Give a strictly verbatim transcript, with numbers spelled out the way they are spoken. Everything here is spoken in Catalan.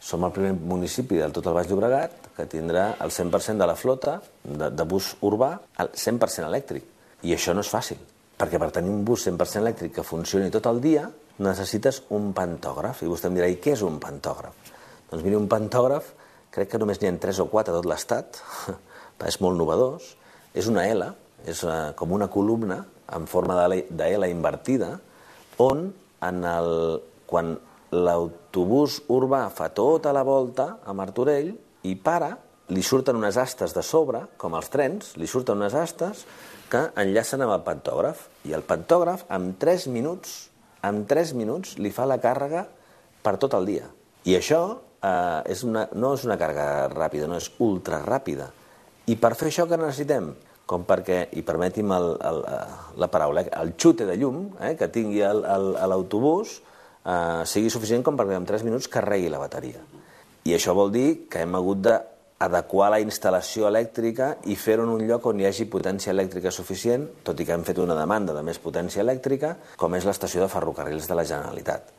som el primer municipi del tot el Baix Llobregat que tindrà el cent per cent de la flota de, de bus urbà al cent per cent elèctric. I això no és fàcil, perquè per tenir un bus cent per cent elèctric que funcioni tot el dia necessites un pantògraf. I vostè em dirà, i què és un pantògraf? Doncs miri, un pantògraf, crec que només n'hi ha tres o quatre a tot l'Estat, és molt novedós, és una L, és una, com una columna en forma de L invertida, on en el, quan l'autobús urbà fa tota la volta a Martorell i para, li surten unes astes de sobre, com els trens, li surten unes astes que enllacen amb el pantògraf. I el pantògraf, en tres minuts, en tres minuts li fa la càrrega per tot el dia. I això eh, és una, no és una càrrega ràpida, no és ultra ràpida. I per fer això què necessitem? Com perquè, i permeti'm el, el, la paraula, el xute de llum eh, que tingui l'autobús eh, sigui suficient com perquè en tres minuts carregui la bateria. I això vol dir que hem hagut d'adequar la instal·lació elèctrica i fer-ho en un lloc on hi hagi potència elèctrica suficient, tot i que hem fet una demanda de més potència elèctrica, com és l'estació de ferrocarrils de la Generalitat.